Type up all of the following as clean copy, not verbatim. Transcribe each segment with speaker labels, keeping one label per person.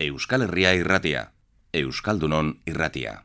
Speaker 1: Euskal Herria irratia, Euskaldunon irratia.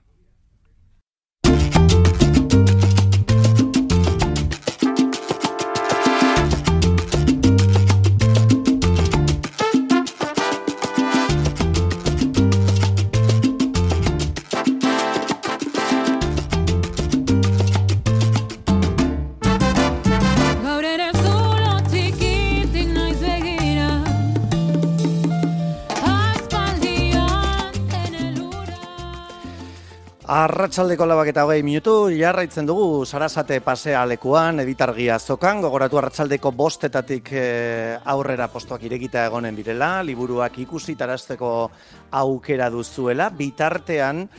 Speaker 2: Arratsaldeko 4:20 jarraitzen dugu Sarasate pasea lekuan, Editargia azokan, gogoratu arratsaldeko 5:00 aurrera postuak irekita egonen direla, liburuak ikusi tarazteko aukera duzuela, bitartean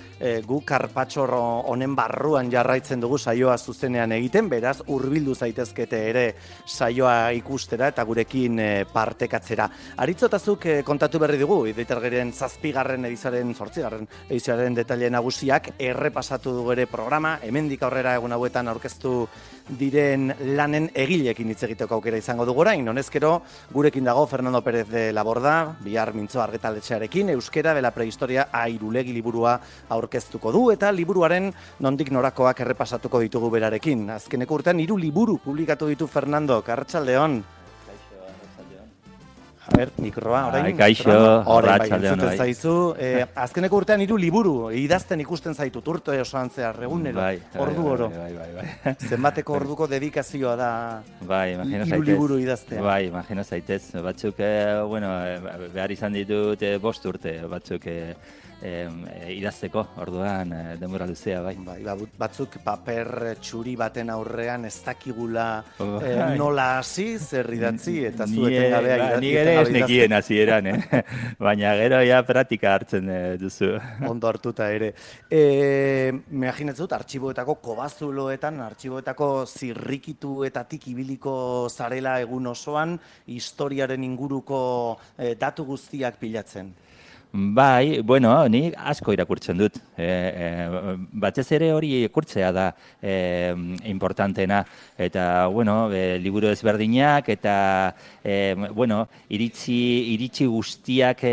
Speaker 2: gu Karpatxor honen barruan jarraitzen dugu saioa zuzenean egiten, beraz hurbildu zaitezkete ere saioa ikustera eta gurekin partekatzera. Aritzotazuk kontatu berri dugu, Editargiren 7. edizioaren 8. edizioaren detaile nagusiak, errepasatu dugu ere programa, hemendik aurrera egun hauetan aurkeztu diren lanen egileekin hitz egiteko aukera izango dugu orain. Honezkero, gurekin dago Fernando Pérez de Laborda, bihar mintzo argitaletxearekin, Euskera de la prehistoria Airulegi liburua aurkeztuko du, eta liburuaren nondik norakoak errepasatuko ditugu berarekin. Azkeneko urtean 3 liburu publikatu ditu Fernando, arratsaldeon. A ber, mikroa, orain.
Speaker 3: Kaixo,
Speaker 2: arratsaldeon. Bai, zaizu. Azkeneko urtean 3 liburu, idazten ikusten zaitu, urte osoan zehar, egunero, ordu oro.
Speaker 3: Bai.
Speaker 2: Zenbateko orduko dedikazioa da
Speaker 3: imagino
Speaker 2: 3 liburu idaztea.
Speaker 3: Bai, imagino zaitez. Batzuk, behar izan ditut 5 urte, batzuk idazteko, orduan denbora luzea, bai.
Speaker 2: Batzuk paper txuri baten aurrean ez dakigula nola hasi, zer idatzi, eta zueten gabea idazten.
Speaker 3: Ni ere ez nekien hasieran, baina gero ja praktika hartzen duzu.
Speaker 2: Ondo hartuta ere. Imaginatzen dut, artxiboetako kobazuloetan, artxiboetako zirrikituetatik ibiliko zarela egun osoan, historiaren inguruko datu guztiak pilatzen.
Speaker 3: Bai, ni asko irakurtzen dut. Batez ere hori irakurtzea da importantena. Eta, liburu ezberdinak eta, iritzi guztiak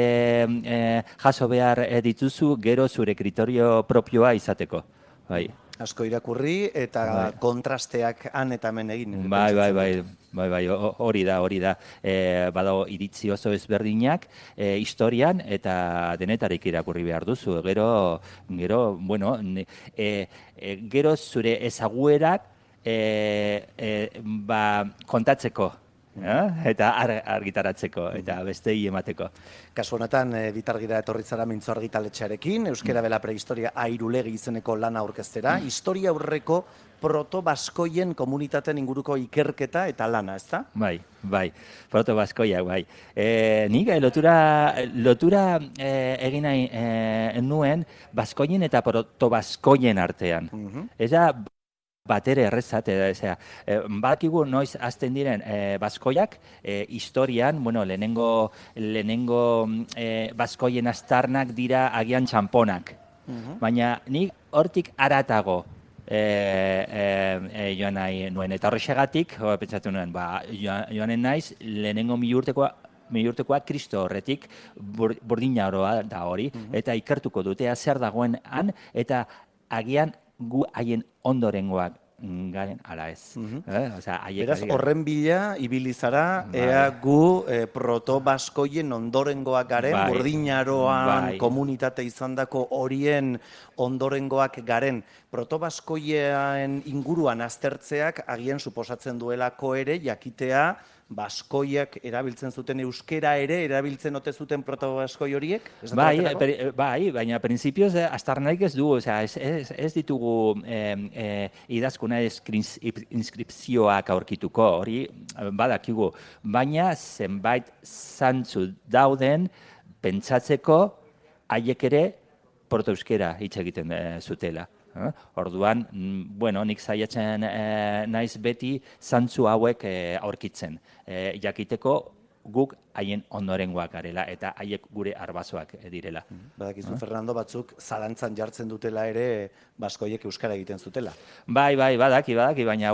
Speaker 3: jaso behar dituzu, gero zure kriterio propioa izateko. Bai.
Speaker 2: Asko irakurri eta kontrasteak han eta hemen egin.
Speaker 3: Bai, hori da. Badago iritzi oso ezberdinak historian eta denetarik irakurri behar duzu. Gero, gero zure ezaguerak kontatzeko. Eta argitaratzeko, eta bestei emateko.
Speaker 2: Kasu honetan, Editargira etorri zara mintzo argitaletxearekin, Euskera de la prehistoria Airulegi izeneko lana aurkeztera, historia aurreko proto-baskoien komunitateen inguruko ikerketa eta lana, ezta?
Speaker 3: Bai, proto-baskoiak, bai. Nik lotura egin nahi nuen baskoien eta proto-baskoien artean. Ez da batere errezat, badakigu noiz hasten diren baskoiak, historian, lehenengo baskoien aztarnak dira agian txamponak. Baina nik hortik haratago joan nahi nuen. Eta horrexegatik, pentsatu nuen, joanen naiz, lehenengo milurtekoa Kristo horretik burdina oroa da hori, eta ikertuko dutea zer dagoen han, eta agian gu haien ondorengoak garen ala ez.
Speaker 2: Beraz, horren bila, ibili zara, ea gu proto-baskoien ondorengoak garen, burdinaroan komunitate izandako horien ondorengoak garen. Proto-baskoien inguruan aztertzeak agian suposatzen duelako ere, jakitea, baskoiak erabiltzen zuten euskera ere, erabiltzen ote zuten proto-baskoi horiek?
Speaker 3: Baina prinsipioz aztarnarik ez dugu, ez ditugu idazkuna inskripzioak aurkituko, hori badakigu. Baina zenbait zantzu dauden pentsatzeko haiek ere proto-euskera hitz egiten zutela. Orduan, nik saiatzen naiz beti zantzu hauek aurkitzen. Jakiteko guk haien ondorengoak garela eta haiek gure arbasoak direla.
Speaker 2: Badakizu, Fernando, batzuk zalantzan jartzen dutela ere baskoiek euskara egiten zutela.
Speaker 3: Bai, badaki, baina,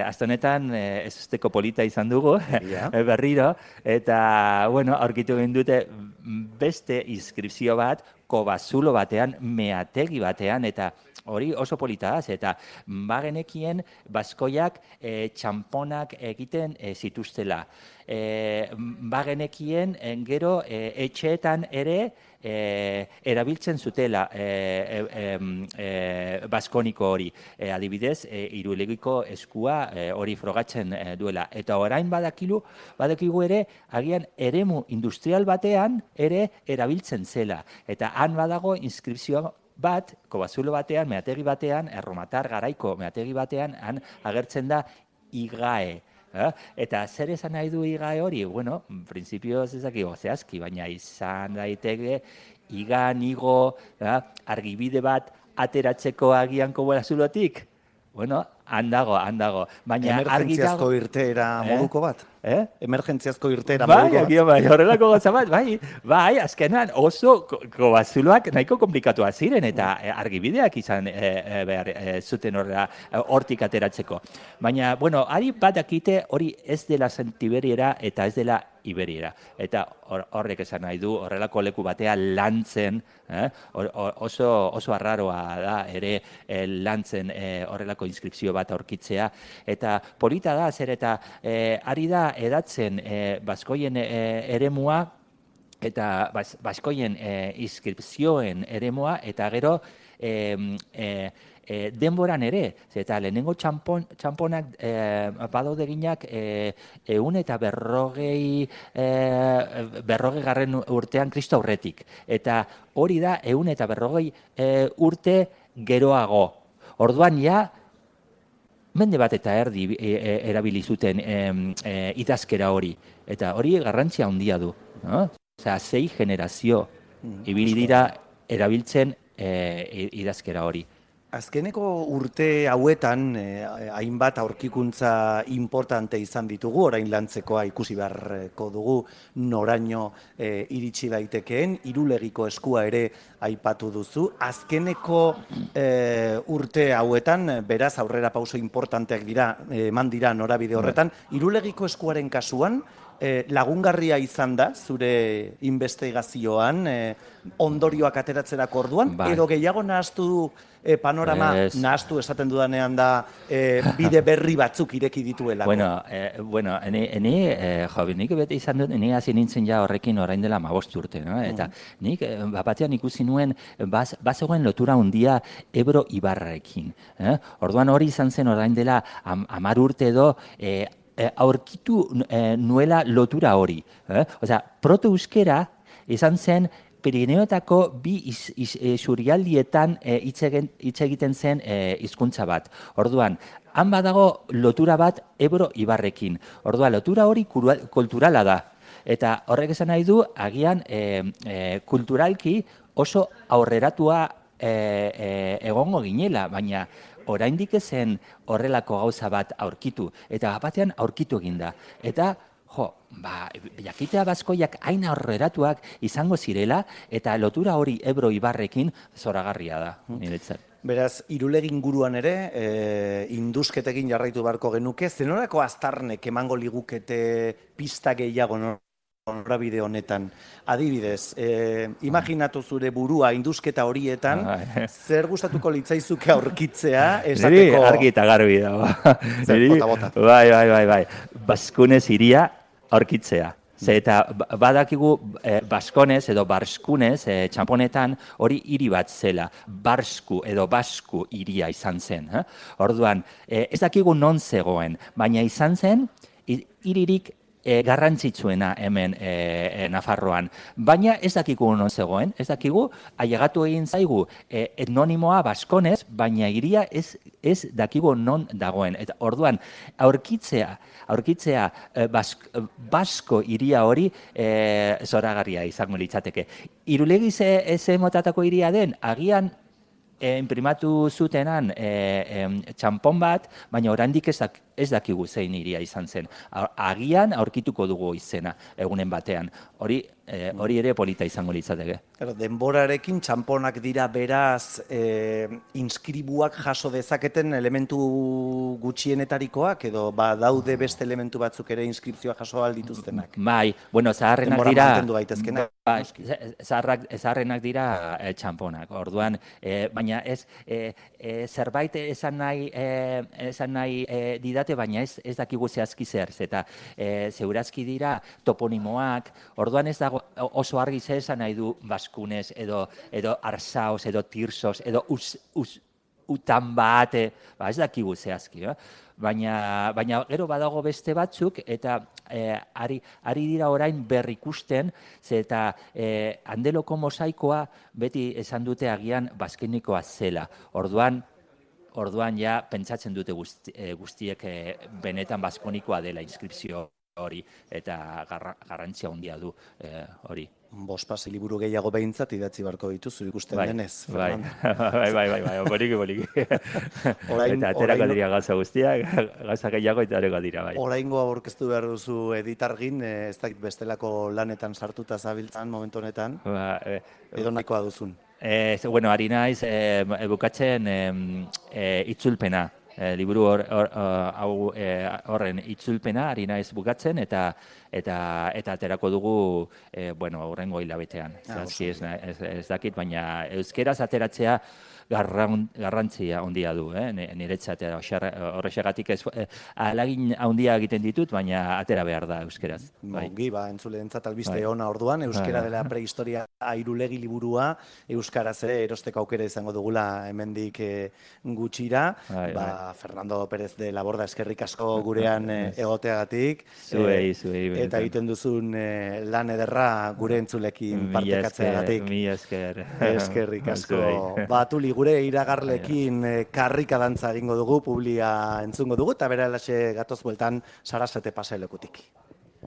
Speaker 3: azte honetan ez usteko polita izan dugu, berriro, eta, aurkitu egin dute beste inskripzio bat, kobazulo batean, meategi batean, eta hori oso polita da, eta bagenekien baskoiak txamponak egiten zituztela. Bagenekien gero etxeetan ere erabiltzen zutela baskoniko hori. Adibidez, Irulegiko eskua hori frogatzen duela. Eta orain badakigu ere, agian eremu industrial batean ere erabiltzen zela. Eta han badago inskripzioa bat, kobazulo batean, meategi batean, erromatar garaiko meategi batean, han agertzen da IGAE. Eta zer esan nahi du IGAE hori? Bueno, prinsipioz ezakigo zehazki, baina izan daiteke igo, argibide bat ateratzeko agian kobazulotik. Bueno, han dago. Baina
Speaker 2: emergentziazko irteera moduko bat? Emergentziazko irteera
Speaker 3: moduko
Speaker 2: bat?
Speaker 3: Bai, horrelako gotza bat, bai, azkenan oso kobazuloak nahiko komplikatuak ziren eta argibideak izan behar zuten hortik ateratzeko. Baina, bueno, ari bat dakite hori ez dela Santiberiera eta ez dela Iberiera. Eta horrek esan nahi du, horrelako leku batea lantzen, oso arraroa da ere lantzen horrelako inskripzio bat aurkitzea. Eta polita da, zer eta ari da edatzen baskoien eremua eta baskoien inskripzioen eremua eta gero denboran ere, eta lehenengo txamponak badaude ginak 150 garren urtean Kristo aurretik. Eta hori da 150 urte geroago. Orduan ja, mende bat eta erdi erabili zuten idazkera hori. Eta hori garrantzia handia du. Osea, 6 generazio ibili dira erabiltzen idazkera hori.
Speaker 2: Azkeneko urte hauetan hainbat aurkikuntza importante izan ditugu, orain lantzekoa ikusi beharko dugu noraino iritsi daitekeen, Irulegiko eskua ere aipatu duzu. Azkeneko urte hauetan, beraz aurrera pauso importanteak eman dira norabide horretan, Irulegiko eskuaren kasuan, lagungarria izan da, zure investigazioan, ondorioak ateratzerako orduan, edo gehiago nahaztu panorama, nahaztu esaten dudanean da, bide berri batzuk ireki dituelako.
Speaker 3: Bueno, nik bete izan dut, ni hasi nintzen ja horrekin orain dela 15 urte, eta nik batean ikusi nuen, bazegoen lotura handia Ebro Ibarrarekin. Orduan hori izan zen orain dela 10 urte edo, aurkitu nuela lotura hori. Osea, proto-euskera izan zen Pirineotako bi surialdietan hitz egiten zen hizkuntza bat. Orduan, han badago lotura bat Ebro Ibarrekin. Orduan, lotura hori kulturala da. Eta horrek esan nahi du, agian kulturalki oso aurreratua egongo ginela, baina oraindik ezen horrelako gauza bat aurkitu, eta batean aurkitu eginda. Eta, jakitea baskoiak hain aurreratuak izango zirela, eta lotura hori Ebro Ibarrekin zoragarria da, niretzat.
Speaker 2: Beraz, Irulegi inguruan ere, indusketekin jarraitu beharko genuke, zenorako aztarnek emango ligukete pista gehiago norabide honetan. Adibidez, imaginatu zure burua indusketa horietan, zer gustatuko litzaizuke aurkitzea, esateko...
Speaker 3: Niri argi eta garbi da.
Speaker 2: Zer, bota.
Speaker 3: Bai. Baskunez iria aurkitzea. Eta badakigu Baskonez edo Barskunez, txamponetan, hori hiri bat zela. Barsku edo Basku hiria izan zen. Orduan, ez dakigu non zegoen, baina izan zen hiririk garrantzitsuena hemen Nafarroan. Baina ez dakigu non zegoen, ez dakigu, ailegatu egin zaigu etnonimoa Baskonez, baina hiria ez dakigu non dagoen. Eta orduan, aurkitzea Basko hiria hori zoragarria izango litzateke. Irulegi ze motatako hiria den, agian imprimatu zutenan txampon bat, baina oraindik ez dakigu zein hiria izan zen. Agian aurkituko dugu izena egunen batean. Hori ere polita izango litzateke.
Speaker 2: Denborarekin txamponak dira beraz inskribuak jaso dezaketen elementu gutxienetarikoak edo daude beste elementu batzuk ere inskripzioa jaso aldituztenak.
Speaker 3: Bai, bueno, zaharrenak
Speaker 2: Denbora
Speaker 3: dira...
Speaker 2: mantendu daitezkenak.
Speaker 3: Bai, zaharrenak dira txamponak. Orduan, baina ez zerbait esan nahi didate, baina ez dakigu zehazki zer. Eta zeurazki dira toponimoak, orduan ez dago oso argi zer esan nahi du Baskunez, edo Arsaoz, edo Tirsoz, edo utan bate, ez dakigu zehazki. Baina gero badago beste batzuk, eta ari dira orain berrikusten, eta Handeloko mosaikoa beti esan dute agian baskenikoa zela. Orduan ja pentsatzen dute guztiek benetan baskonikoa dela inskripzio hori, eta garrantzia handia du hori.
Speaker 2: Bospasei liburu gehiago behintzat idatzi barko dituzu ikusten denez.
Speaker 3: Bai, boliki. Eta aterako dira gauza guztiak, gauza gehiago eta areko dira, bai.
Speaker 2: Oraingo aurkeztu behar duzu Editargin, ez dakit bestelako lanetan sartuta zabiltzan momentu honetan, edo nahikoa duzun.
Speaker 3: Bueno, ari naiz, bukatzen itzulpena. Liburu horren itzulpena ari naiz bukatzen eta aterako dugu hurrengo hilabetean. Ez dakit, baina euskeraz ateratzea garrantzia handia du, niretzat horrexegatik alagin handia egiten ditut, baina atera behar da euskeraz.
Speaker 2: Ongi, entzuleentzat albiste ona orduan, euskera dela prehistoria airulegi liburua, euskaraz ere erosteko aukera izango dugula hemendik gutxira, Fernando Pérez de la Borda eskerrik asko gurean egoteagatik, eta egiten duzun lan ederra gure entzulekin partekatzeagatik.
Speaker 3: Mila esker.
Speaker 2: Eskerrik asko. Batuli gure iragarlekin karrika dantza egingo dugu, publia entzungo dugu, eta bera gatoz bueltan Sarasate pasealekutik.